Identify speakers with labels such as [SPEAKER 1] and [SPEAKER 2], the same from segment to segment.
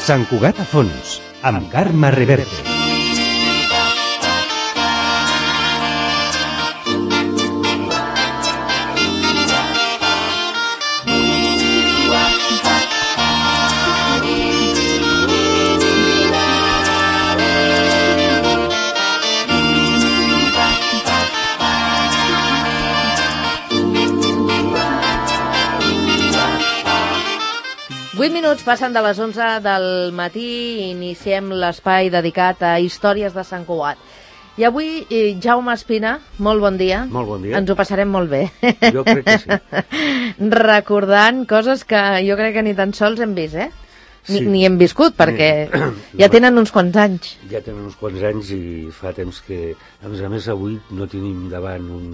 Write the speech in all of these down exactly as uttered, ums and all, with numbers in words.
[SPEAKER 1] Sant Cugat a fons, amb Carme Reverte.
[SPEAKER 2] vuit minuts passen de les onze del matí i iniciem l'espai dedicat a històries de Sant Cugat. I avui, Jaume Espina, molt bon dia.
[SPEAKER 3] Molt bon dia.
[SPEAKER 2] Ens ho passarem molt bé.
[SPEAKER 3] Jo crec que sí.
[SPEAKER 2] Recordant coses que jo crec que ni tan sols hem vist, eh? Ni,
[SPEAKER 3] Sí.
[SPEAKER 2] ni hem viscut, perquè ja tenen uns quants anys.
[SPEAKER 3] Ja tenen uns quants anys i fa temps que... A més a més, avui no tenim davant un,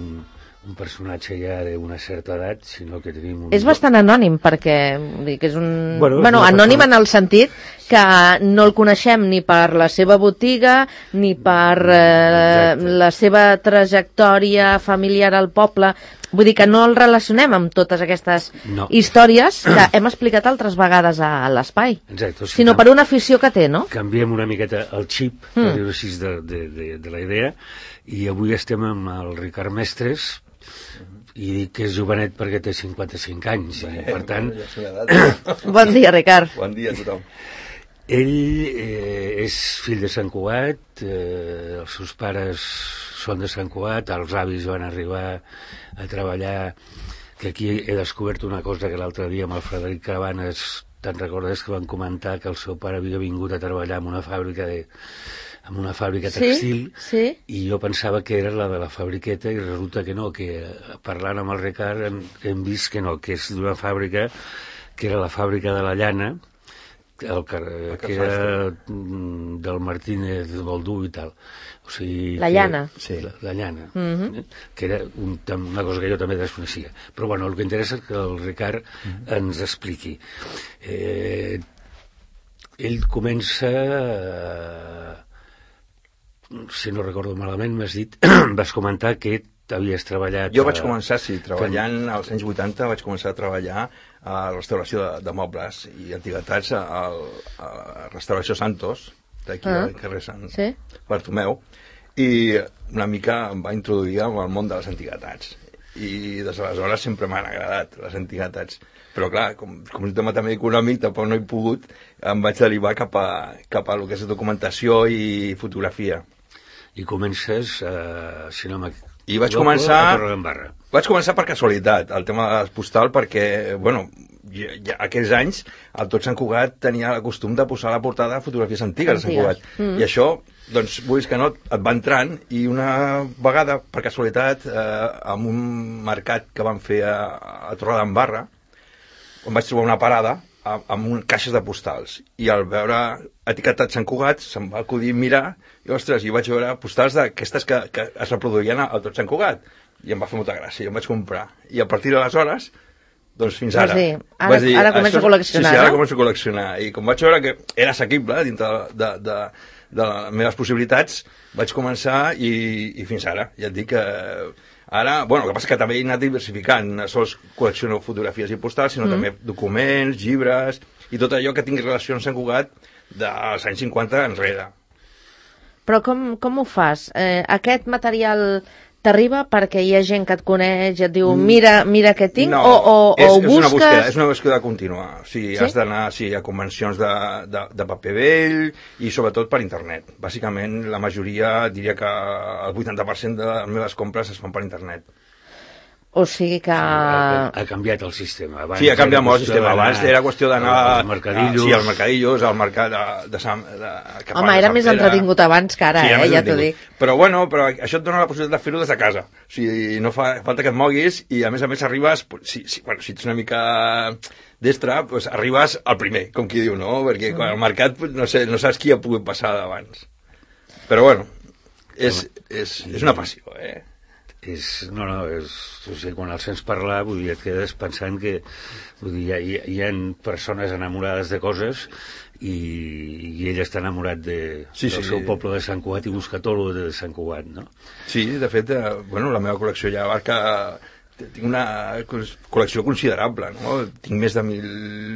[SPEAKER 3] un personatge ja d'una certa edat, sinó que tenim un...
[SPEAKER 2] És bastant anònim, perquè vull dir que és un...
[SPEAKER 3] Bueno, és
[SPEAKER 2] bueno
[SPEAKER 3] una
[SPEAKER 2] anònim
[SPEAKER 3] persona-
[SPEAKER 2] en el sentit que no el coneixem ni per la seva botiga, ni per eh,
[SPEAKER 3] Exacte.
[SPEAKER 2] la seva trajectòria familiar al poble. Vull dir que no el relacionem amb totes aquestes
[SPEAKER 3] No.
[SPEAKER 2] històries que hem explicat altres vegades a l'espai,
[SPEAKER 3] Exacte, o sigui,
[SPEAKER 2] sinó per una afició que té, no?
[SPEAKER 3] Canviem una miqueta el xip,
[SPEAKER 2] Mm.
[SPEAKER 3] per dir-ho així, de, de, de, de la idea, i avui estem amb el Ricard Mestres, i dic que és jovenet perquè té cinquanta-cinc anys, i per tant...
[SPEAKER 4] Ja és una edat.
[SPEAKER 2] Bon dia, Ricard.
[SPEAKER 4] Bon dia a tothom.
[SPEAKER 3] Ell eh, és fill de Sant Cugat, eh, els seus pares són de Sant Cugat, els avis van arribar a treballar, que aquí he descobert una cosa que l'altre dia amb el Frederic Cabanes, te'n recordes que van comentar que el seu pare havia vingut a treballar en una fàbrica de, en una fàbrica textil,
[SPEAKER 2] Sí, sí.
[SPEAKER 3] i jo pensava que era la de la fabriqueta i resulta que no, que parlant amb el Ricard hem, hem vist que no, que és d'una fàbrica que era la fàbrica de la llana, el que, que era mm, del Martínez Boldú i tal. O sigui,
[SPEAKER 2] La
[SPEAKER 3] que-
[SPEAKER 2] llana.
[SPEAKER 3] Sí, la, la llana,
[SPEAKER 2] Mhm.
[SPEAKER 3] eh? Que era un, tam- una cosa que jo també desconeixia. Però bueno, el que interessa és que el Ricard ens expliqui. Eh, ell comença... Eh, si no recordo malament, m'has dit, vas comentar que havies treballat...
[SPEAKER 4] Jo vaig
[SPEAKER 3] a-
[SPEAKER 4] començar, sí, treballant als anys vuitanta, vaig començar a treballar a la restauració de, de mobles i antiguitats a, a la restauració Santos, d'aquí
[SPEAKER 2] Ah.
[SPEAKER 4] al carrer Sant
[SPEAKER 2] Sí.
[SPEAKER 4] Bartomeu, i una mica em va introduir en el món de les antiguitats. I des d'aleshores sempre m'han agradat les antiguitats. Però clar, com, com és un tema també econòmic, tampoc no he pogut, em vaig derivar cap a, cap a el que és documentació i fotografia.
[SPEAKER 3] I comences, eh, si no m'equivoco,
[SPEAKER 4] I vaig començar...
[SPEAKER 3] a Torredembarra.
[SPEAKER 4] Vaig començar per casualitat, el tema de les postal, perquè, bueno, ja, ja, aquells anys el Tot Sant Cugat tenia el costum de posar a la portada fotografies antigues de Sant
[SPEAKER 2] Antigues.
[SPEAKER 4] Cugat.
[SPEAKER 2] Mm.
[SPEAKER 4] I això, doncs, vulguis que no, et va entrant, i una vegada, per casualitat, eh, en un mercat que van fer a, a Torredembarra, on vaig trobar una parada a- amb un, caixes de postals, i al veure etiquetat Sant Cugat se'm va acudir mirar i ostres, i vaig veure postals d'aquestes que, que es reproduïen al Tot Sant Cugat, i em va fer molta gràcia, i em vaig comprar, i a partir d'aleshores doncs fins
[SPEAKER 2] Vas
[SPEAKER 4] ara
[SPEAKER 2] dir, ara-
[SPEAKER 4] vaig
[SPEAKER 2] ara començo
[SPEAKER 4] això-
[SPEAKER 2] a col·leccionar,
[SPEAKER 4] sí, sí, ara
[SPEAKER 2] no?
[SPEAKER 4] començo a col·leccionar, i com vaig veure que era assequible dintre de, de, de les meves possibilitats, vaig començar i, i fins ara, ja et dic que ara, bueno, el que passa és que també he anat diversificant, no sols col·lecciono fotografies i postals, sinó mm. també documents, llibres, i tot allò que tingui relació amb Sant Cugat dels anys cinquanta enrere.
[SPEAKER 2] Però com, com ho fas? Eh, aquest material t'arriba perquè hi ha gent que et coneix i et diu mira, mira què tinc,
[SPEAKER 4] No,
[SPEAKER 2] o, o,
[SPEAKER 4] és,
[SPEAKER 2] o ho
[SPEAKER 4] és una
[SPEAKER 2] busques...
[SPEAKER 4] búsqueda, és una búsqueda contínua. O sigui,
[SPEAKER 2] Sí?
[SPEAKER 4] has d'anar sí, a convencions de, de, de paper vell i sobretot per internet. Bàsicament, la majoria, diria que el vuitanta per cent de les meves compres es fan per internet.
[SPEAKER 2] O sigui que...
[SPEAKER 3] Ha, ha canviat el sistema. Abans
[SPEAKER 4] Sí, ha canviat
[SPEAKER 3] era
[SPEAKER 4] molt el
[SPEAKER 3] qüestió
[SPEAKER 4] sistema.
[SPEAKER 3] d'anar
[SPEAKER 4] Abans era qüestió d'anar...
[SPEAKER 3] als mercadillos.
[SPEAKER 4] Sí, als mercadillos, al mercat de, de Sant... De, que
[SPEAKER 2] Home,
[SPEAKER 4] fan de
[SPEAKER 2] era
[SPEAKER 4] Sant
[SPEAKER 2] més
[SPEAKER 4] Pere.
[SPEAKER 2] entretingut abans que ara,
[SPEAKER 4] Sí, era
[SPEAKER 2] eh?
[SPEAKER 4] més
[SPEAKER 2] Ja t'ho
[SPEAKER 4] entretingut.
[SPEAKER 2] dic.
[SPEAKER 4] Però bueno, però això et dona la possibilitat de fer-ho des de casa. O sigui, no fa falta que et moguis i a més a més arribes, si, si, bueno, si ets una mica destre, pues arribes al primer, com qui diu, no? Perquè quan al mercat pues, no, sé, no saps qui ha pogut passar d'abans. Però bueno, és, és, és una passió, eh?
[SPEAKER 3] És, no, no, és, o sigui, quan el sents parlar, vull dir, et quedes pensant que vull dir, hi, ha, hi ha persones enamorades de coses i, i ell està enamorat de,
[SPEAKER 4] Sí,
[SPEAKER 3] del
[SPEAKER 4] sí.
[SPEAKER 3] seu poble de Sant Cugat i busca tot el de Sant Cugat, no?
[SPEAKER 4] Sí, de fet, eh, bueno, la meva col·lecció ja abarca... Tinc una col·lecció considerable, no? Tinc més de mil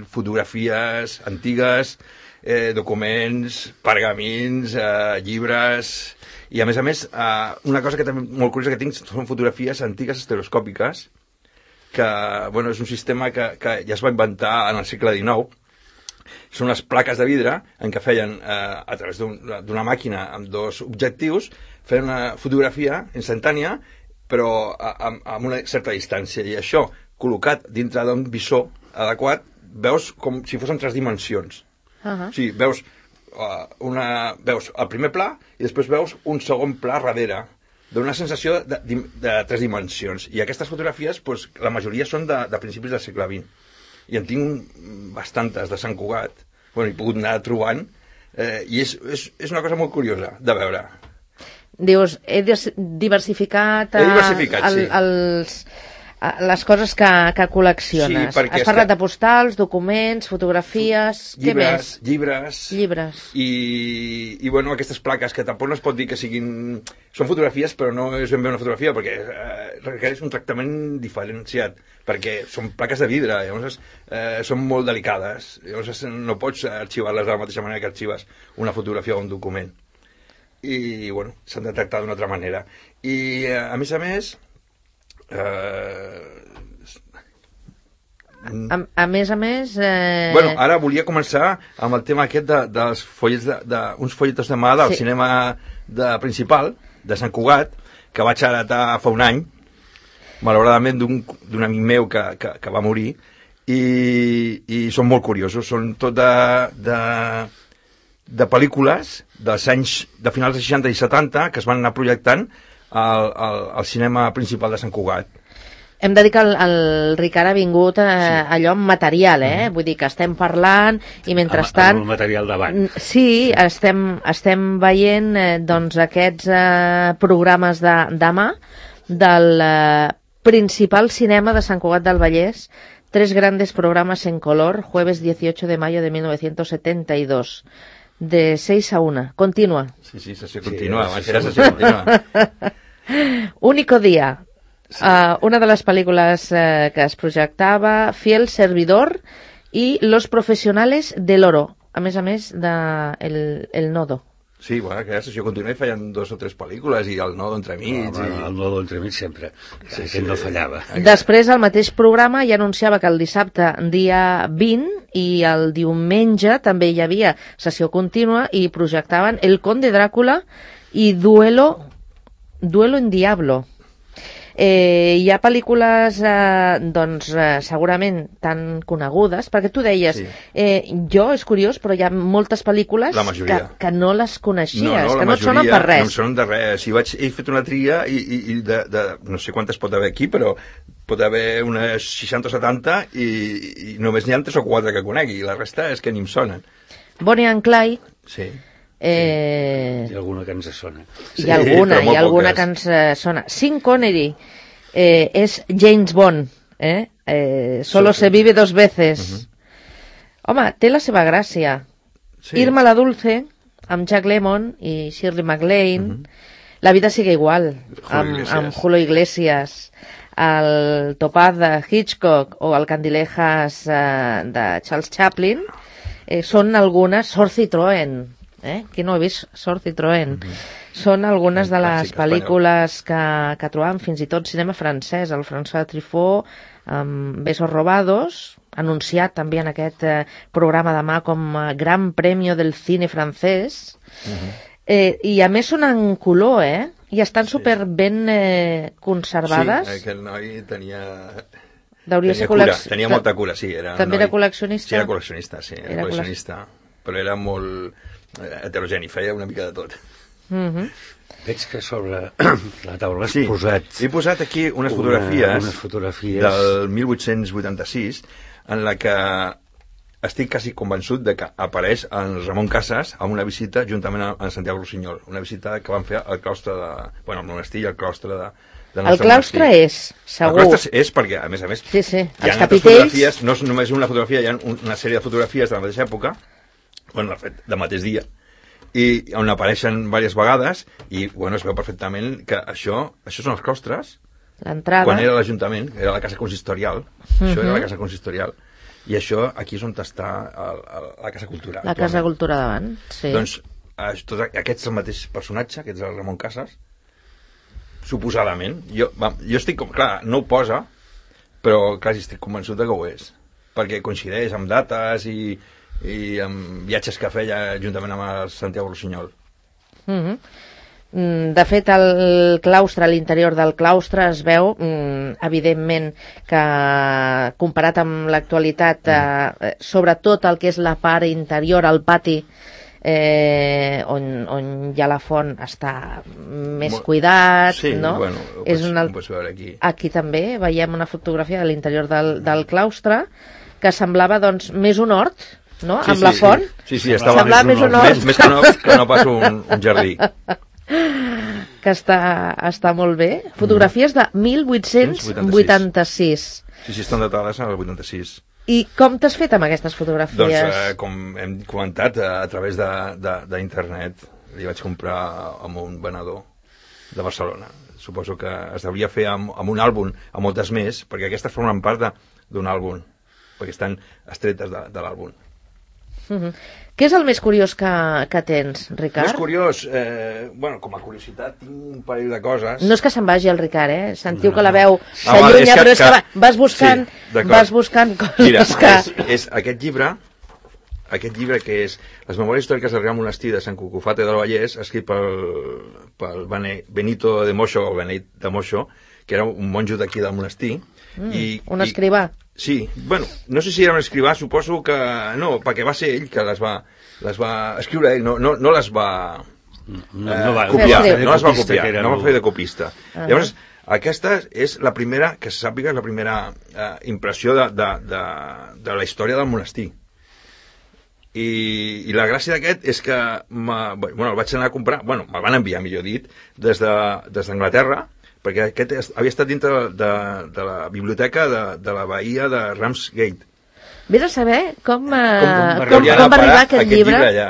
[SPEAKER 4] fotografies antigues, eh, documents, pergamins, eh, llibres... I, a més a més, eh, una cosa que també molt curiosa que tinc són fotografies antigues estereoscòpiques, que bueno, és un sistema que, que ja es va inventar en el segle dinou. Són unes plaques de vidre en què feien, eh, a través d'una un, màquina amb dos objectius, feien una fotografia instantània, però amb, amb una certa distància. I això, col·locat dintre d'un visor adequat, veus com si fos en tres dimensions. Uh-huh. O sigui, veus... Una, veus el primer pla i després veus un segon pla darrere, dona una sensació de, de, de tres dimensions. I aquestes fotografies, doncs, la majoria són de, de principis del segle vint. I en tinc bastantes de Sant Cugat, bueno, he pogut anar trobant, eh, i és, és, és una cosa molt curiosa de veure.
[SPEAKER 2] Dius, he diversificat,
[SPEAKER 4] he diversificat
[SPEAKER 2] el,
[SPEAKER 4] sí.
[SPEAKER 2] els... les coses que, que col·lecciones. Sí, has parlat que... de postals, documents, fotografies...
[SPEAKER 4] Llibres,
[SPEAKER 2] què més?
[SPEAKER 4] Llibres.
[SPEAKER 2] Llibres.
[SPEAKER 4] I, i, bueno, aquestes plaques, que tampoc no es pot dir que siguin... Són fotografies, però no és ben bé una fotografia, perquè eh, requereix un tractament diferenciat, perquè són plaques de vidre, llavors eh, són molt delicades, llavors no pots arxivar-les de la mateixa manera que arxives una fotografia o un document. I, bueno, s'han de tractar d'una altra manera. I, a més a més... Uh...
[SPEAKER 2] A, a més a més eh...
[SPEAKER 4] bueno, ara volia començar amb el tema aquest de, dels follets de, de, uns folletos de mà del sí. cinema de, principal de Sant Cugat, que vaig heretar fa un any malauradament d'un amic meu que, que, que va morir, i, i són molt curiosos, són tot de, de, de pel·lícules dels anys de finals dels seixanta i setanta que es van anar projectant Al, al, al cinema principal de Sant Cugat.
[SPEAKER 2] Hem de dir que el, el Ricard ha vingut eh,
[SPEAKER 4] sí.
[SPEAKER 2] allò amb material, eh? Mm. Vull dir que estem parlant i mentrestant...
[SPEAKER 3] Amb el material davant.
[SPEAKER 2] Sí, estem, estem veient eh, doncs aquests eh, programes de, de mà del eh, principal cinema de Sant Cugat del Vallès. Tres grandes programas en color, jueves dieciocho de mayo de mil novecientos setenta y dos. De seis a una. Continua.
[SPEAKER 4] Sí, sí, sessió continua. Sí, era sessió continua.
[SPEAKER 2] Único día. Sí. Uh, una de les pel·lícules uh, que es projectava, Fiel Servidor i Los Profesionales del Oro. A més a més de El, el Nodo.
[SPEAKER 4] Sí, bueno, que la sessió continua i feien dos o tres pel·lícules i El Nodo entremig.
[SPEAKER 3] No, i... El Nodo entremig sempre. Sí, sí, no fallava.
[SPEAKER 2] Després, el mateix programa ja anunciava que el dissabte, dia vint, i el diumenge també hi havia sessió contínua i projectaven El Conde Dràcula i Duelo, Duelo en Diablo. Eh, hi ha pel·lícules eh, doncs eh, segurament tan conegudes, perquè tu deies sí. eh, jo, és curiós, però hi ha moltes pel·lícules que, que no les coneixies, no, no, que no et sonen per res.
[SPEAKER 4] No em sonen de res. Si vaig, he fet una tria i, i, i de, de, no sé quantes pot haver aquí, però pot haver unes seixanta o setanta i, i només n'hi ha tres o quatre que conegui, i la resta és que ni em sonen.
[SPEAKER 2] Bonnie and Clyde.
[SPEAKER 4] Sí.
[SPEAKER 2] Eh...
[SPEAKER 3] Hi ha alguna que ens sona.
[SPEAKER 2] Hi ha sí, alguna, hi ha alguna que ens sona. Sean Connery eh, és James Bond, eh? Eh, solo sí. se vive dos veces. Uh-huh. Home, té la seva gràcia. Sí. Irma la Dulce, amb Jack Lemmon i Shirley MacLaine, uh-huh. La vida sigue igual, amb, amb Julio Iglesias, el Topaz de Hitchcock o el Candilejas eh, de Charles Chaplin, eh, són algunes, Sor Citroën, eh? Qui no ha vist Sor Citroën? Mm-hmm. Són algunes de les pel·lícules que, que trobam, fins i tot cinema francès, el François Truffaut, amb Besos robados, anunciat també en aquest eh, programa de mà com a Gran Premio del Cine francès, mm-hmm. eh, i a més són en color, eh? I estan super ben eh, conservades.
[SPEAKER 4] Sí, aquell noi tenia...
[SPEAKER 2] Tenia,
[SPEAKER 4] ser cura, tenia molta cura, sí. Era
[SPEAKER 2] també
[SPEAKER 4] noi...
[SPEAKER 2] era col·leccionista?
[SPEAKER 4] Sí, era col·leccionista, sí, era, era col·leccionista. Col·lec... Però era molt heterogeni, feia una mica de tot.
[SPEAKER 2] Mm-hmm.
[SPEAKER 3] Veig que sobre la taula has
[SPEAKER 4] sí,
[SPEAKER 3] posat...
[SPEAKER 4] he posat aquí unes una, fotografies,
[SPEAKER 3] unes fotografies
[SPEAKER 4] del mil vuit-cents vuitanta-sis en la que estic quasi convençut de que apareix en Ramon Casas amb una visita juntament amb Santiago Rossinyol, una visita que van fer al claustre de... bueno, al monestir i al claustre de... de
[SPEAKER 2] el claustre monestir. És, segur.
[SPEAKER 4] El claustre és perquè, a més a més,
[SPEAKER 2] sí, sí.
[SPEAKER 4] Hi ha altres fotografies, no és només una fotografia, hi ha una sèrie de fotografies de la mateixa època, bueno, de fet, del mateix dia, i on apareixen diverses vegades i, bueno, es veu perfectament que això, això són els claustres.
[SPEAKER 2] L'entrada.
[SPEAKER 4] Quan era l'Ajuntament, era la casa consistorial, uh-huh. Això era la casa consistorial. I això aquí és on està el, el, la Casa Cultura.
[SPEAKER 2] La Casa Cultura davant, sí.
[SPEAKER 4] Doncs tot, aquest és el mateix personatge, aquest és el Ramon Casas, suposadament. Jo, va, jo estic, com, clar, no ho posa, però quasi estic convençut de que ho és, perquè coincideix amb dates i, i amb viatges que feia juntament amb el Santiago Rossinyol.
[SPEAKER 2] Mm-hmm. De fet, el claustre, a l'interior del claustre es veu, evidentment, que comparat amb l'actualitat, eh, sobretot el que és la part interior, el pati, eh, on, on hi ha la font, està més cuidat,
[SPEAKER 4] sí,
[SPEAKER 2] no?
[SPEAKER 4] Bueno, ho
[SPEAKER 2] és
[SPEAKER 4] pots,
[SPEAKER 2] una...
[SPEAKER 4] ho pots veure aquí.
[SPEAKER 2] Aquí també veiem una fotografia de l'interior del, del claustre que semblava, doncs, més un hort, no?
[SPEAKER 4] Sí,
[SPEAKER 2] amb
[SPEAKER 4] sí,
[SPEAKER 2] la font.
[SPEAKER 4] Sí, sí, estava
[SPEAKER 2] semblava més un hort.
[SPEAKER 4] Més, més que, no, que no pas un, un jardí.
[SPEAKER 2] Que està, està molt bé. Fotografies de mil vuit-cents vuitanta-sis.
[SPEAKER 4] Sí, sí, estan datades al vuitanta-sis.
[SPEAKER 2] I com t'has fet amb aquestes fotografies?
[SPEAKER 4] Doncs, eh, com hem comentat, a, a través d'internet, li vaig comprar amb un venedor de Barcelona. Suposo que es devia fer amb, amb un àlbum, amb moltes més, perquè aquestes formen part d'un àlbum, perquè estan estretes de, de l'àlbum.
[SPEAKER 2] Uh-huh. Què és el més curiós que, que tens, Ricard?
[SPEAKER 4] Més curiós, eh, bueno, com a curiositat tinc un parell de coses.
[SPEAKER 2] No és que se'n vagi el Ricard, eh? Sentiu
[SPEAKER 4] no,
[SPEAKER 2] que la veu
[SPEAKER 4] s'allunya,
[SPEAKER 2] ah, és que, però és que,
[SPEAKER 4] que
[SPEAKER 2] vas buscant,
[SPEAKER 4] sí,
[SPEAKER 2] vas buscant coses.
[SPEAKER 4] Mira,
[SPEAKER 2] que...
[SPEAKER 4] és, és aquest llibre, aquest llibre que és Les memòries històriques del Real Monestir de Sant Cucufate del Vallès, escrit pel, pel Benito de Moixo, o Beneit de Moixo, que era un monjo d'aquí del monestir.
[SPEAKER 2] Mm,
[SPEAKER 4] i,
[SPEAKER 2] un escrivà.
[SPEAKER 4] I, sí, bueno, no sé si era un escrivà, suposo que no, perquè va ser ell que les va, les va escriure ell, no, no, no les va,
[SPEAKER 3] no,
[SPEAKER 4] eh,
[SPEAKER 3] no va
[SPEAKER 4] copiar,
[SPEAKER 2] no
[SPEAKER 4] no les va copiar, no va
[SPEAKER 3] el...
[SPEAKER 4] fer de copista.
[SPEAKER 2] Uh-huh.
[SPEAKER 4] Llavors, aquesta és la primera, que se sàpiga, és la primera eh, impressió de, de, de, de la història del monestir. I, i la gràcia d'aquest és que bueno, el vaig anar a comprar, bueno, me'l van enviar, millor dit, des d'Anglaterra, perquè aquest havia estat dintre de, de, de la biblioteca de, de la bahia de Ramsgate.
[SPEAKER 2] Vés a saber com, eh,
[SPEAKER 4] com,
[SPEAKER 2] com, com va arribar aquest,
[SPEAKER 4] aquest
[SPEAKER 2] llibre.
[SPEAKER 4] llibre allà.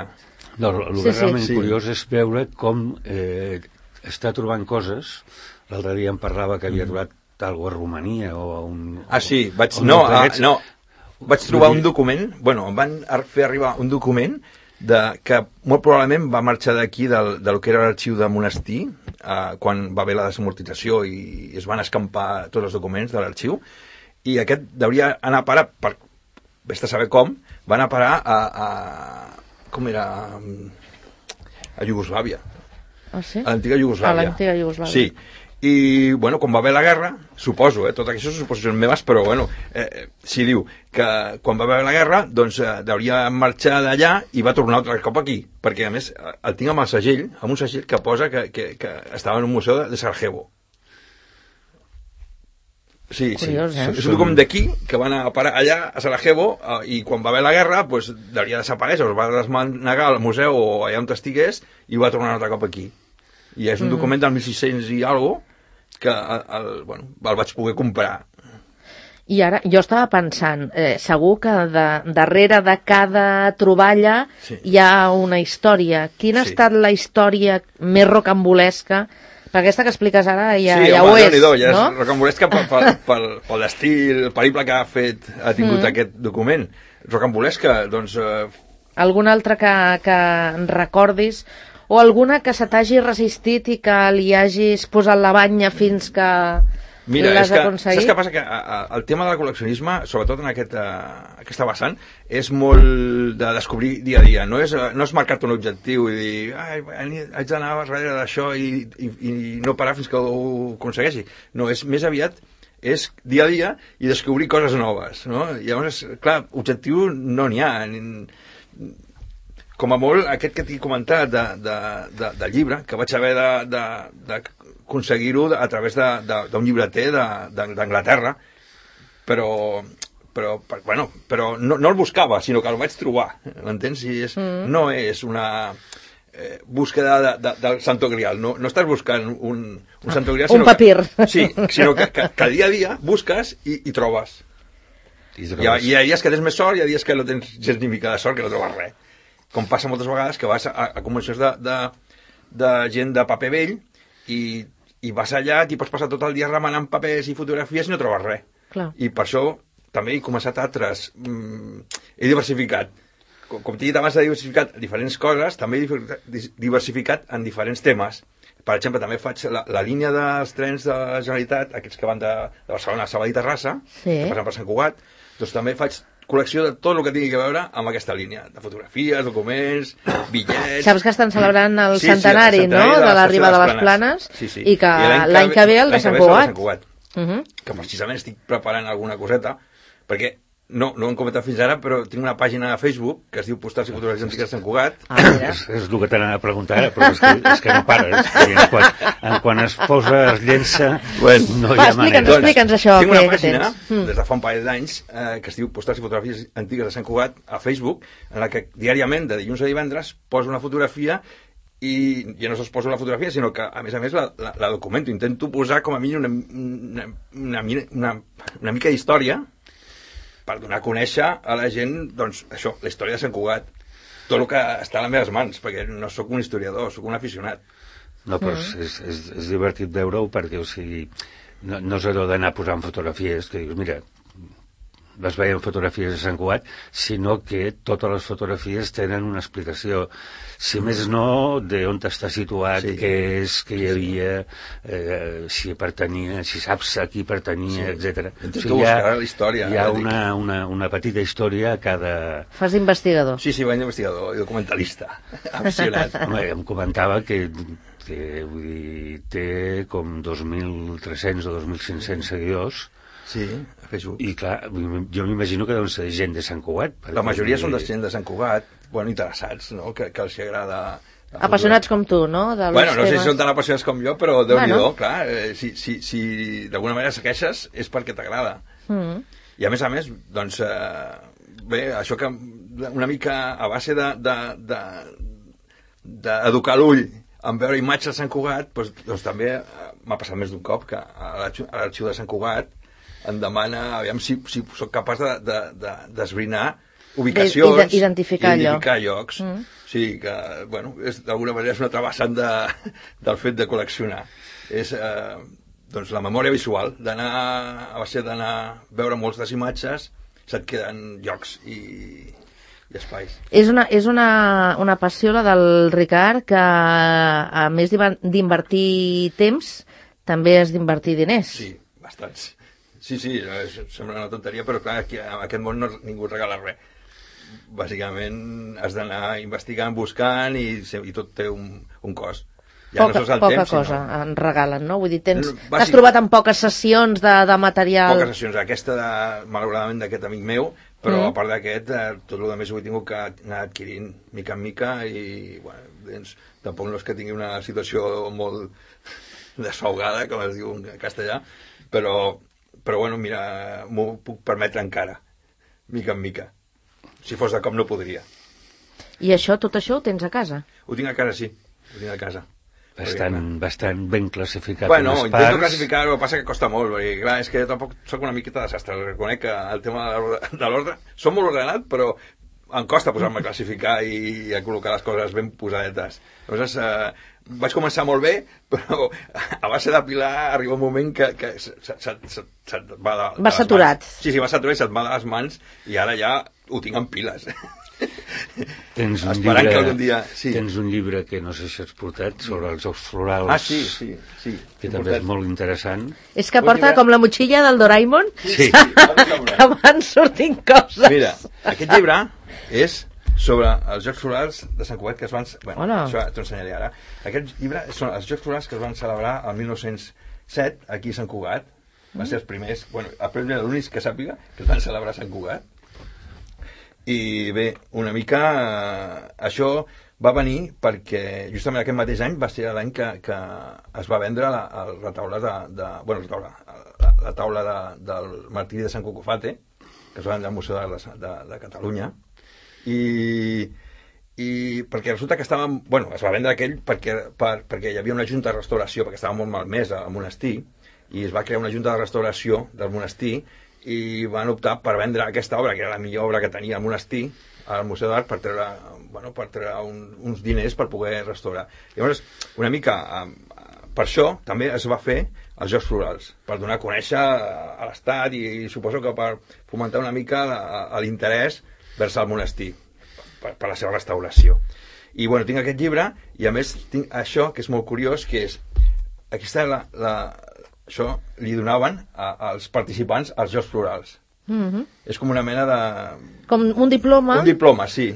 [SPEAKER 3] No, el
[SPEAKER 2] sí,
[SPEAKER 3] que
[SPEAKER 2] sí.
[SPEAKER 3] realment
[SPEAKER 4] sí.
[SPEAKER 3] curiós és veure com eh, està trobant coses. L'altre dia em parlava que havia trobat alguna a Romania o a un...
[SPEAKER 4] Ah, sí, vaig,
[SPEAKER 3] un
[SPEAKER 4] no, ah, no, vaig trobar un document, bueno, em van fer arribar un document de, que molt probablement va marxar d'aquí del, del que era l'arxiu de monestir, eh, quan va haver la desamortització i es van escampar tots els documents de l'arxiu, i aquest hauria anar a parar, per, vés a saber com, va anar a parar a, a com era, a Iugoslàvia.
[SPEAKER 2] Ah, sí?
[SPEAKER 4] A l'antiga Iugoslàvia.
[SPEAKER 2] A l'antiga Iugoslàvia.
[SPEAKER 4] Sí. I, bueno, quan va haver la guerra, suposo, eh, tot això són suposicions meves, però, bueno, eh, si diu que quan va haver la guerra, doncs eh, hauria marxar d'allà i va tornar altre cop aquí, perquè, a més, el tinc amb el segell, amb un segell que posa que, que, que estava en un museu de, de Sarajevo. Sí,
[SPEAKER 2] Curiós,
[SPEAKER 4] sí.
[SPEAKER 2] Eh?
[SPEAKER 4] És un document d'aquí, que va anar a parar allà, a Sarajevo, eh, i quan va haver la guerra, doncs, hauria desaparèixer, es va desmanegar al museu o allà on estigués, i va tornar un altre cop aquí. I és un mm. document del mil sis-cents i alguna cosa, que el, el, bueno, el vaig poder comprar.
[SPEAKER 2] I ara, jo estava pensant, eh, segur que de, darrere de cada troballa sí. hi ha una història. Quina sí. ha estat la història més rocambolesca? Per aquesta que expliques ara ja,
[SPEAKER 4] sí,
[SPEAKER 2] ja
[SPEAKER 4] home,
[SPEAKER 2] ho és,
[SPEAKER 4] no? Ja és
[SPEAKER 2] no?
[SPEAKER 4] Rocambolesca pel, pel, pel, pel estil, el periple que ha fet, ha tingut mm. aquest document. Rocambolesca, doncs... Eh...
[SPEAKER 2] Alguna altra que, que recordis? O alguna que se t'hagi resistit i que li hagis posat la banya fins que l'has aconseguit?
[SPEAKER 4] Saps què passa? Que a, a, el tema del col·leccionisme, sobretot en aquest, a, aquesta vessant, és molt de descobrir dia a dia. No és, no és marcar-te un objectiu i dir ai, haig d'anar darrere d'això i, i, i no parar fins que ho aconsegueixi. No, és més aviat és dia a dia i descobrir coses noves. No? Llavors, clar, objectiu no n'hi ha. Com a molt, aquest que t'he comentat de, de, de, del llibre, que vaig haver d'aconseguir-ho a través d'un llibreter d'Anglaterra, però, però, bueno, però no, no el buscava, sinó que el vaig trobar, m'entens? I és, mm. no és una eh, búsqueda de, de, del Santo Grial, no, no estàs buscant un, un Santo Grial,
[SPEAKER 2] un
[SPEAKER 4] sinó
[SPEAKER 2] papir.
[SPEAKER 4] Que, sí, sinó que, que, que dia a dia busques i, i trobes. I, trobes. Hi, ha, hi ha dies que tens més sort i hi ha dies que no tens gens ni mica de sort, que no trobes res. Com passa moltes vegades que vas a, a convencions de, de, de gent de paper vell i, i vas allà, t'hi pots passar tot el dia remenant papers i fotografies i no trobes res.
[SPEAKER 2] Clar.
[SPEAKER 4] I per això també he començat altres... Mm, he diversificat. Com, com t'he dit abans, he diversificat diferents coses, també he diversificat en diferents temes. Per exemple, també faig la, la línia dels trens de la Generalitat, aquests que van de, de Barcelona a Sabadell Terrassa,
[SPEAKER 2] sí.
[SPEAKER 4] que passen per Sant Cugat, doncs també faig col·lecció de tot el que tingui a veure amb aquesta línia, de fotografies, documents, bitllets...
[SPEAKER 2] Saps que estan celebrant el
[SPEAKER 4] sí,
[SPEAKER 2] centenari,
[SPEAKER 4] sí, el centenari
[SPEAKER 2] no?,
[SPEAKER 4] de,
[SPEAKER 2] de l'arribada de les Planes,
[SPEAKER 4] sí, sí.
[SPEAKER 2] i que l'any que ve el de Sant Cugat.
[SPEAKER 4] Uh -huh. Que precisament estic preparant alguna coseta, perquè no, no ho hem comentat fins ara, però tinc una pàgina a Facebook que es diu Postals i Fotografies Antigues de Sant Cugat.
[SPEAKER 2] Ah,
[SPEAKER 3] és, és el que t'anava a preguntar ara, però és que, és que no pares. En quan, en quan es posa, es llença,
[SPEAKER 4] bueno,
[SPEAKER 3] no hi ha
[SPEAKER 2] va,
[SPEAKER 3] manera.
[SPEAKER 2] Explica'ns, explica'ns això.
[SPEAKER 4] Tinc una
[SPEAKER 2] que,
[SPEAKER 4] pàgina,
[SPEAKER 2] que
[SPEAKER 4] des de fa un parell d'anys, eh, que es diu Postals i Fotografies Antigues de Sant Cugat, a Facebook, en la que diàriament, de dilluns a divendres, poso una fotografia i ja no sols poso la fotografia, sinó que, a més a més, la, la, la documento. Intento posar, com a mínim, una, una, una, una, una mica d'història per donar a conèixer a la gent, doncs, això, la història de Sant Cugat, tot el que està a les meves mans, perquè no sóc un historiador, sóc un aficionat.
[SPEAKER 3] No, però és, és, és, és divertit veure-ho perquè, o sigui, no, no és allò d'anar posant fotografies que dius, mira, les veiem fotografies de Sant Cugat, sinó que totes les fotografies tenen una explicació, si més no, d'on està situat, sí. què és, què hi havia, eh, si pertanyia, si saps a qui pertanyia, sí. etcètera.
[SPEAKER 4] O sigui, hi ha, la història,
[SPEAKER 3] hi ha una, una, una petita història a cada...
[SPEAKER 2] Fas d'investigador.
[SPEAKER 4] Sí, sí, vaig d'investigador i documentalista, aficionat.
[SPEAKER 3] Home, em comentava que, que vull dir, té com dos mil tres-cents o dos mil cinc-cents seguidors.
[SPEAKER 4] Sí, a Facebook.
[SPEAKER 3] I clar, jo m'imagino que deuen ser gent de Sant Cugat.
[SPEAKER 4] La majoria són de gent de Sant Cugat, bueno, interessats, no?, que, que els agrada...
[SPEAKER 2] Apassionats com tu, no? De
[SPEAKER 4] bueno, no
[SPEAKER 2] temes.
[SPEAKER 4] sé si són tan apassionats com jo, però Déu-n'hi-do,
[SPEAKER 2] bueno.
[SPEAKER 4] clar, eh, si, si, si d'alguna manera segueixes és perquè t'agrada.
[SPEAKER 2] Mm.
[SPEAKER 4] I a més a més, doncs, eh, bé, això que una mica a base de, de, de, d'educar l'ull en veure imatges de Sant Cugat, doncs, doncs també m'ha passat més d'un cop que a l'arxiu de Sant Cugat em demana, aviam si, si soc capaç de, de, de, d'esbrinar ubicacions,
[SPEAKER 2] de, identificar,
[SPEAKER 4] identificar llocs.
[SPEAKER 2] Mm.
[SPEAKER 4] Sí, que, bueno, és, d'alguna manera és una altra vessant de, del fet de col·leccionar. És, eh, doncs, la memòria visual, d'anar, a base d'anar a veure moltes imatges, se't queden llocs i, i espais.
[SPEAKER 2] És una, és una, una passió, la del Ricard, que a més d'invertir temps, també has d'invertir diners.
[SPEAKER 4] Sí, bastants. Sí, sí, sembla una tonteria, però clar, aquí, en aquest món no, ningú et regala res. Bàsicament has d'anar investigant, buscant i, i tot té un, un cost. Ja
[SPEAKER 2] poca,
[SPEAKER 4] no sols el
[SPEAKER 2] poca
[SPEAKER 4] temps,
[SPEAKER 2] cosa
[SPEAKER 4] sinó...
[SPEAKER 2] en regalen, no? Vull dir, tens,
[SPEAKER 4] Bàsic...
[SPEAKER 2] t'has trobat en poques sessions de, de material...
[SPEAKER 4] Poques sessions, aquesta, de, malauradament, d'aquest amic meu, però mm. a part d'aquest, eh, tot el més ho he tingut que anar adquirint mica en mica i, bueno, doncs, tampoc no és que tingui una situació molt desahogada, com es diu en castellà, però... Però, bueno, mira, m'ho puc permetre encara, mica en mica. Si fos de cop no podria.
[SPEAKER 2] I això, tot això ho tens a casa?
[SPEAKER 4] Ho tinc a casa, sí. Ho tinc a casa.
[SPEAKER 3] Bastant, perquè, bastant ben classificat.
[SPEAKER 4] Bueno,
[SPEAKER 3] intento
[SPEAKER 4] parts. classificar, el que passa que costa molt, perquè, clar, és que tampoc soc una miqueta desastre. Reconec que el tema de l'ordre... Som molt ordenat, però em costa posar-me a classificar i a col·locar les coses ben posadetes. Llavors, eh, vaig començar molt bé, però a base d'apilar arriba un moment que, que se't, se't, se't, se't va de, de
[SPEAKER 2] va saturat.
[SPEAKER 4] Mans. Sí, sí, va saturat i se't va de les mans i ara ja ho tinc en piles.
[SPEAKER 3] Tens un,
[SPEAKER 4] Esperant
[SPEAKER 3] llibre,
[SPEAKER 4] que algun dia... Sí.
[SPEAKER 3] Tens un llibre que no sé si has portat sobre els jocs florals.
[SPEAKER 4] Ah, sí, sí, sí.
[SPEAKER 3] Que també portat. És molt interessant.
[SPEAKER 2] És que porta llibre... com la motxilla del Doraemon,
[SPEAKER 3] sí.
[SPEAKER 2] que van sortint coses.
[SPEAKER 4] Mira, aquest llibre és sobre els Jocs Florals de Sant Cugat que es van... Bueno, Hola. Això t'ho ensenyaré ara. Aquest llibre són els Jocs Florals que es van celebrar el mil nou-cents set aquí a Sant Cugat. Mm. Van ser els primers, bueno, el primer l'únic que sàpiga que es van celebrar a Sant Cugat. I bé, una mica eh, això va venir perquè justament aquest mateix any va ser l'any que, que es va vendre la, el retaule de, de... Bueno, la taula, la, la taula de, del martiri de Sant Cucufate, que es va vendre al Museu de, de, de Catalunya. I, i perquè resulta que estàvem, bueno, es va vendre aquell perquè, per, perquè hi havia una junta de restauració, perquè estava molt malmesa al monestir, i es va crear una junta de restauració del monestir i van optar per vendre aquesta obra, que era la millor obra que tenia el monestir, al Museu d'Art, per treure, bueno, per treure un, uns diners per poder restaurar. Llavors, una mica, per això també es va fer els Jocs Florals, per donar a conèixer a l'Estat i, i suposo que per fomentar una mica l'interès vers el monestir, per, per la seva restauració. I bueno, tinc aquest llibre i a més tinc això que és molt curiós, que és aquesta la, la, això li donaven a, als participants als Jocs Florals. Mm-hmm. És com una mena de...
[SPEAKER 2] Com un diploma?
[SPEAKER 4] Un diploma, sí.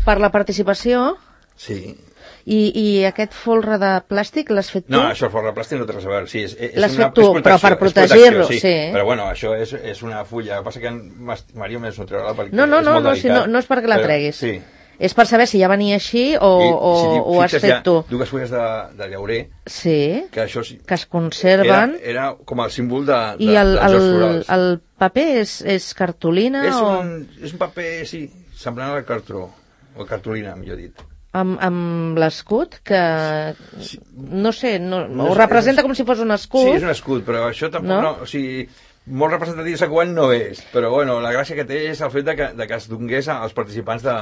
[SPEAKER 2] Per la participació?
[SPEAKER 4] Sí.
[SPEAKER 2] I, i aquest folre de plàstic l'has fet tu?
[SPEAKER 4] No, això el folre de plàstic no té res a veure. Sí, és, és
[SPEAKER 2] l'has
[SPEAKER 4] una,
[SPEAKER 2] fet tu, però per protegir-lo, sí. sí.
[SPEAKER 4] Però bueno, això és, és una fulla. El que passa que Maria més no treurà perquè
[SPEAKER 2] no, no,
[SPEAKER 4] és
[SPEAKER 2] no,
[SPEAKER 4] molt
[SPEAKER 2] no,
[SPEAKER 4] delicat.
[SPEAKER 2] Si no, no és perquè la treguis.
[SPEAKER 4] Sí.
[SPEAKER 2] És per saber si ja venia així o, I, o, si ho has fet tu.
[SPEAKER 4] Dues fulles de, de llaurer,
[SPEAKER 2] sí,
[SPEAKER 4] que, això, sí,
[SPEAKER 2] que es conserven.
[SPEAKER 4] Era, era com el símbol de, de,
[SPEAKER 2] I el,
[SPEAKER 4] dels Jocs Florals.
[SPEAKER 2] El paper és, és cartolina?
[SPEAKER 4] És,
[SPEAKER 2] o...
[SPEAKER 4] un, és un paper, sí, semblant al cartró, o cartolina, millor dit.
[SPEAKER 2] Amb, amb l'escut, que
[SPEAKER 4] sí.
[SPEAKER 2] no sé, no,
[SPEAKER 4] no
[SPEAKER 2] ho
[SPEAKER 4] és,
[SPEAKER 2] representa
[SPEAKER 4] és,
[SPEAKER 2] com si fos un escut.
[SPEAKER 4] Sí, és un escut, però això tampoc no, no o sigui, molt representatiu de Sant Cugat no és, però bueno, la gràcia que té és el fet de que, de que es donés als participants de,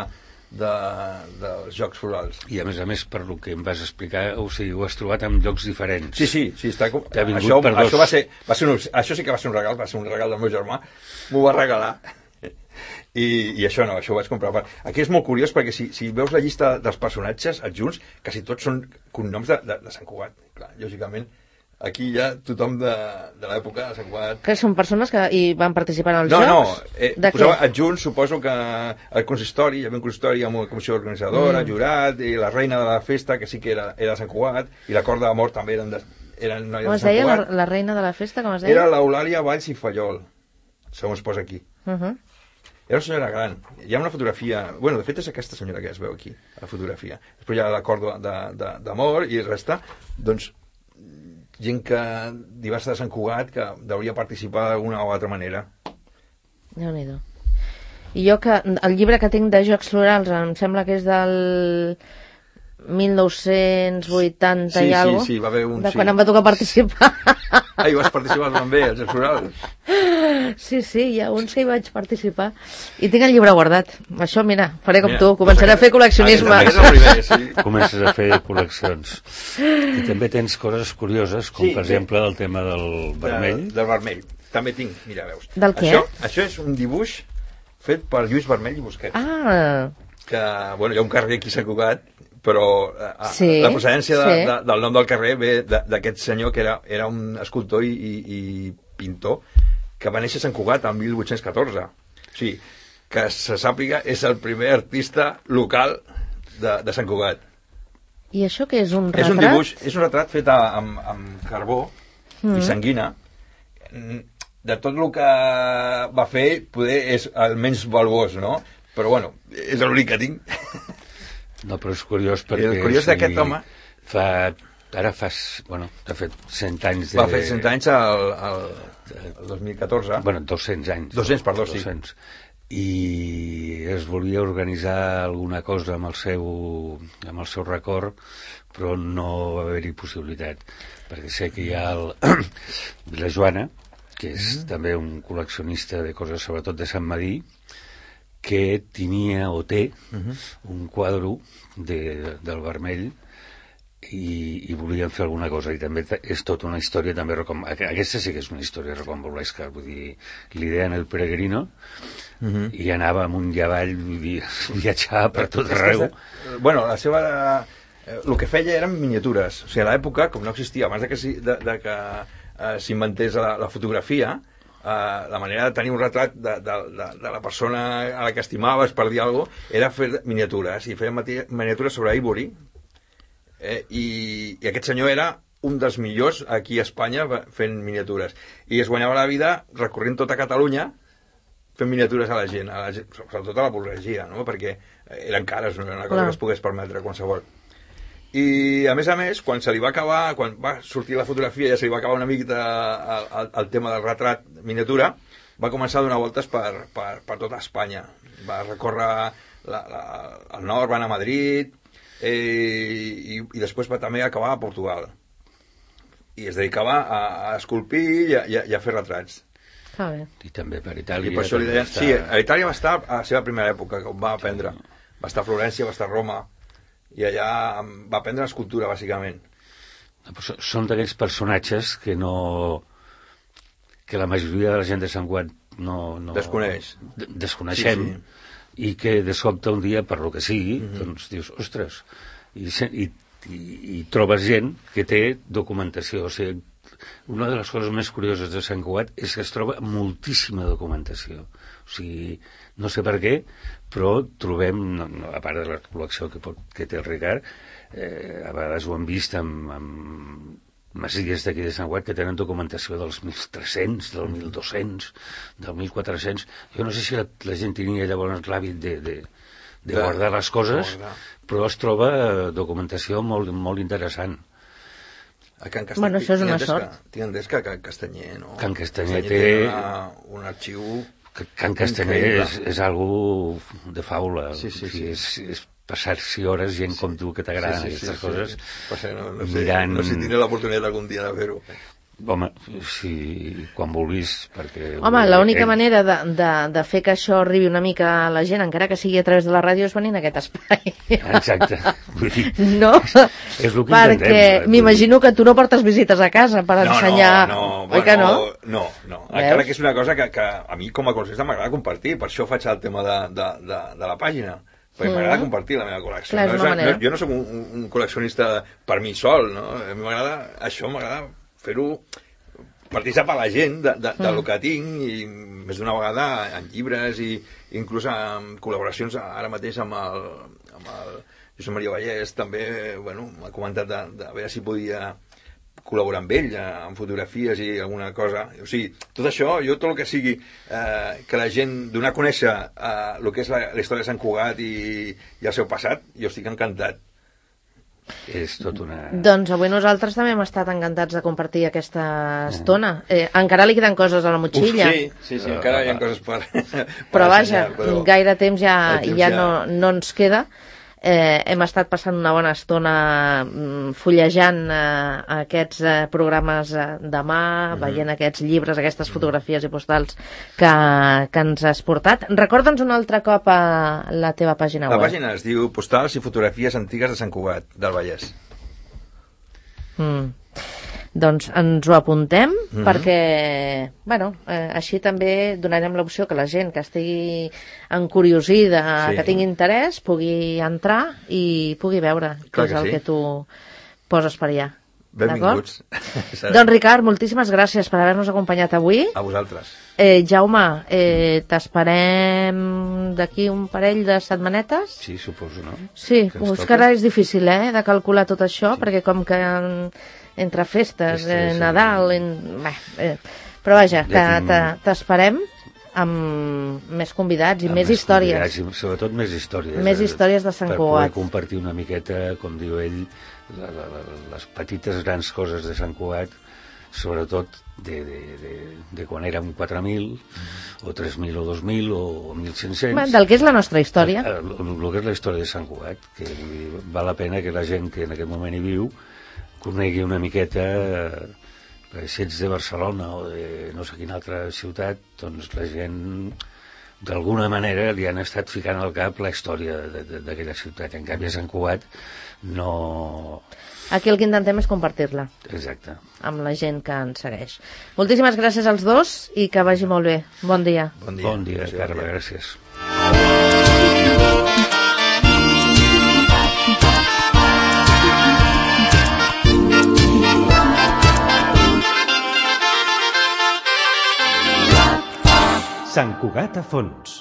[SPEAKER 4] de, dels Jocs Florals.
[SPEAKER 3] I a més a més, per lo que em vas explicar, o sigui, ho has trobat en llocs diferents.
[SPEAKER 4] Sí, sí, sí, està com...
[SPEAKER 3] Això,
[SPEAKER 4] per dos... això, va ser, va ser un... això sí que va ser un regal, va ser un regal del meu germà, m'ho va regalar. I, i això no, això ho vaig comprar. Aquí és molt curiós perquè si, si veus la llista dels personatges adjunts, quasi tots són cognoms de, de, de Sant Cugat. Clar, lògicament, aquí hi ha tothom de, de l'època de Sant Cugat.
[SPEAKER 2] Que són persones que hi van participar en els
[SPEAKER 4] no,
[SPEAKER 2] jocs?
[SPEAKER 4] No, no, eh,
[SPEAKER 2] de
[SPEAKER 4] posava
[SPEAKER 2] què?
[SPEAKER 4] adjunts, suposo que el consistori, hi havia un consistori amb una comissió organitzadora, mm. jurat, i la reina de la festa, que sí que era, era de Sant Cugat, i la cort d'amor també eren de, eren noies
[SPEAKER 2] com
[SPEAKER 4] de Sant
[SPEAKER 2] deia,
[SPEAKER 4] Cugat.
[SPEAKER 2] la, la reina de la festa, com es deia?
[SPEAKER 4] Era l'Eulàlia Valls i Fallol, segons es posa aquí.
[SPEAKER 2] Uh -huh.
[SPEAKER 4] Era una senyora gran. Hi ha una fotografia... Bueno, de fet és aquesta senyora que es veu aquí, la fotografia. Després hi ha l'acord d'amor i resta, doncs, gent que diversa de Sant Cugat que hauria participar d'alguna o altra manera.
[SPEAKER 2] Déu-n'hi-do. I jo que... El llibre que tinc de Jocs Florals em sembla que és del mil nou-cents vuitanta
[SPEAKER 4] sí,
[SPEAKER 2] i alguna
[SPEAKER 4] cosa. Sí, sí, va haver un...
[SPEAKER 2] De
[SPEAKER 4] sí.
[SPEAKER 2] quan em va tocar participar.
[SPEAKER 4] Ah, i vas participar també, als Jocs Florals?
[SPEAKER 2] Sí, sí, hi ha uns que hi vaig participar. I tinc el llibre guardat. Això, mira, faré com
[SPEAKER 4] mira,
[SPEAKER 2] tu, començaré a fer col·leccionisme.
[SPEAKER 4] Ah, és el primer, sí.
[SPEAKER 3] Comences a fer col·leccions. I també tens coses curioses, com
[SPEAKER 4] sí,
[SPEAKER 3] per exemple el tema del vermell.
[SPEAKER 4] De, del vermell. També tinc, mira, veus.
[SPEAKER 2] Del què?
[SPEAKER 4] Això, això és un dibuix fet per Lluís Vermell i Busquets.
[SPEAKER 2] Ah.
[SPEAKER 4] Que, bueno, hi ha un carrer aquí a Sant Cugat, però a,
[SPEAKER 2] sí,
[SPEAKER 4] la procedència de,
[SPEAKER 2] sí.
[SPEAKER 4] de, del nom del carrer ve d'aquest senyor que era, era un escultor i, i, i pintor que va néixer a Sant Cugat el mil vuit-cents catorze. O sigui, que se sàpiga, és el primer artista local de, de Sant Cugat.
[SPEAKER 2] I això què és, un retrat?
[SPEAKER 4] És un dibuix, és un retrat fet a, amb, amb carbó mm. i sanguina. De tot el que va fer, poder és el menys valuós, no? Però bueno, és l'únic que tinc.
[SPEAKER 3] No, però és curiós perquè...
[SPEAKER 4] El curiós d'aquest home...
[SPEAKER 3] Fa... Ara fas... Bueno, t'ha fet cent anys de...
[SPEAKER 4] Va fer cent anys el, el, el dos mil catorze.
[SPEAKER 3] Bueno, dos-cents anys.
[SPEAKER 4] dos-cents, perdó, sí.
[SPEAKER 3] dos-cents. I es volia organitzar alguna cosa amb el seu, amb el seu record, però no va haver-hi possibilitat. Perquè sé que hi ha el Vilajoana, que és mm-hmm. també un col·leccionista de coses, sobretot de Sant Madí, que tenia o té uh-huh. un quadre de, del vermell i, i volien fer alguna cosa, i també és tota una història també recom... aquesta sí que és una història recombolesca, vull dir, l'idea en el Peregrino uh-huh. i anava amunt i avall, vull dir, viatjava per tot arreu.
[SPEAKER 4] Bueno, la seva... el que feia eren miniatures, o sigui, a l'època, com no existia, abans de que, de, de que uh, s'inventés la, la fotografia, Uh, la manera de tenir un retrat de, de, de, de la persona a la que estimaves, per dir alguna cosa, era fer miniatures, i feien miniatures sobre ivory, eh, i, i aquest senyor era un dels millors aquí a Espanya fent miniatures, i es guanyava la vida recorrent tota Catalunya fent miniatures a la gent, a la gent sobretot a la burgesia, no? Perquè eren cares, no era una cosa Clar. que es pogués permetre qualsevol. I a més a més, quan se li va acabar, quan va sortir la fotografia, ja se li va acabar una mica el, el, el tema del retrat miniatura, va començar a donar voltes per, per, per tota Espanya. Va recórrer la, la, el nord, va anar a Madrid, eh, i, i després va també acabar a Portugal. I es dedicava a, a esculpir i a, i a fer retrats.
[SPEAKER 2] Ah, bé.
[SPEAKER 3] I també per Itàlia.
[SPEAKER 4] I per això li deien, estar... Sí, a Itàlia va estar a la seva primera època, que va aprendre. Va estar a Florència, va estar a Roma, i allà va aprendre escultura, bàsicament.
[SPEAKER 3] Són d'aquells personatges que no... que la majoria de la gent de Sant Cugat no... no
[SPEAKER 4] desconeix.
[SPEAKER 3] Desconeixem, sí, sí. I que de sobte un dia, per lo que sigui, mm-hmm. doncs dius, ostres, i, i, i, i trobes gent que té documentació. O sigui, una de les coses més curioses de Sant Cugat és que es troba moltíssima documentació. O sigui, no sé per què, però trobem, no, no, a part de la col·lecció que, pot, que té el Ricard, eh, a vegades ho hem vist amb, amb masies d'aquí de Sant Cugat que tenen documentació dels mil tres-cents, del mil dos-cents, del mil quatre-cents. Jo no sé si la, la gent tenia llavors l'hàbit de, de, de guardar les coses, però es troba documentació molt, molt interessant.
[SPEAKER 4] A Can Castanyer,
[SPEAKER 2] bueno, això és una sort.
[SPEAKER 4] Tinc entès que Can Castanyer, no?
[SPEAKER 3] Can Castanyer,
[SPEAKER 4] Castanyer té, té una, un arxiu...
[SPEAKER 3] Can Castanyer és, és algú de faula.
[SPEAKER 4] Sí, sí, sí.
[SPEAKER 3] És, és passar-s'hi hores gent sí. com tu que t'agraden sí, sí, aquestes sí, coses.
[SPEAKER 4] Sí, sí. No, no, sé,
[SPEAKER 3] mirant...
[SPEAKER 4] no sé si tindré l'oportunitat algun dia de fer-ho.
[SPEAKER 3] Home, sí, quan vulguis, perquè...
[SPEAKER 2] Home, l'única ell... manera de, de, de fer que això arribi una mica a la gent, encara que sigui a través de la ràdio, és venir en aquest espai.
[SPEAKER 3] Exacte. Vull dir,
[SPEAKER 2] no,
[SPEAKER 3] és el que
[SPEAKER 2] perquè
[SPEAKER 3] intentem.
[SPEAKER 2] m'imagino que tu no portes visites a casa per
[SPEAKER 4] no,
[SPEAKER 2] ensenyar...
[SPEAKER 4] No, no,
[SPEAKER 2] Oi
[SPEAKER 4] bueno,
[SPEAKER 2] que no?
[SPEAKER 4] No, no. Encara que és una cosa que, que a mi com a col·leccionista m'agrada compartir, per això faig el tema de, de, de, de la pàgina. Perquè mm. m'agrada compartir la meva col·lecció.
[SPEAKER 2] Clar,
[SPEAKER 4] no, no, jo no sóc un, un col·leccionista per mi sol, no? A mi m'agrada, això m'agrada fer-ho, participar a la gent de, de, de mm. lo que tinc, i més d'una vegada en llibres i inclús en col·laboracions ara mateix amb el, amb el Josep Maria Vallès, també, bueno, m'ha comentat de, de a veure si podia col·laborar amb ell en fotografies i alguna cosa. O sigui, tot això, jo tot el que sigui eh, que la gent donar a conèixer eh, el que és la, la història de Sant Cugat i, i el seu passat, jo estic encantat.
[SPEAKER 3] És tot una...
[SPEAKER 2] Doncs avui nosaltres també hem estat encantats de compartir aquesta estona. Eh, encara li queden coses a la motxilla.
[SPEAKER 4] Uf, sí, sí, sí, encara hi ha coses per... per
[SPEAKER 2] però vaja,
[SPEAKER 4] ensenyar, però...
[SPEAKER 2] gaire temps ja,
[SPEAKER 4] temps
[SPEAKER 2] ja,
[SPEAKER 4] ja...
[SPEAKER 2] No, no ens queda. Eh, hem estat passant una bona estona mm, fullejant eh, aquests eh, programes eh, de mà, mm-hmm. veient aquests llibres, aquestes fotografies i postals que, que ens has portat. Recorda'ns un altre cop a la teva pàgina
[SPEAKER 4] la
[SPEAKER 2] web.
[SPEAKER 4] La pàgina es diu Postals i fotografies antigues de Sant Cugat, del Vallès.
[SPEAKER 2] Mm. Doncs ens ho apuntem, mm-hmm. perquè, bueno, eh, així també donarem l'opció que la gent que estigui encuriosida, sí. que tingui interès, pugui entrar i pugui veure què és el sí. que tu poses per allà.
[SPEAKER 4] Benvinguts.
[SPEAKER 2] Doncs Ricard, moltíssimes gràcies per haver-nos acompanyat avui.
[SPEAKER 4] A vosaltres.
[SPEAKER 2] Eh, Jaume, eh, t'esperem d'aquí un parell de setmanetes?
[SPEAKER 3] Sí, suposo, no?
[SPEAKER 2] Sí, que és que ara és difícil, eh, de calcular tot això, sí. perquè com que... entre festes, eh, Nadal... En... Bé, eh, però vaja, t'esperem amb més convidats i amb més, més històries.
[SPEAKER 3] I sobretot més històries.
[SPEAKER 2] Més històries de Sant Cugat.
[SPEAKER 3] Per poder compartir una miqueta, com diu ell, la, la, la, les petites grans coses de Sant Cugat, sobretot de, de, de, de quan érem quatre mil, mm. o tres mil, o dos mil, o mil cinc-cents.
[SPEAKER 2] Bé, del que és la nostra història.
[SPEAKER 3] El, el, el que és la història de Sant Cugat, que val la pena que la gent que en aquest moment hi viu conegui una miqueta, eh, si ets de Barcelona o de no sé quina altra ciutat, doncs la gent d'alguna manera li han estat ficant al cap la història d'aquella ciutat. En canvi a Sant Cugat no...
[SPEAKER 2] Aquí el que intentem és compartir-la.
[SPEAKER 3] Exacte.
[SPEAKER 2] Amb la gent que ens segueix. Moltíssimes gràcies als dos i que vagi molt bé. Bon dia.
[SPEAKER 3] Bon dia, bon dia Carme, gràcies.
[SPEAKER 1] Sant Cugat a fons.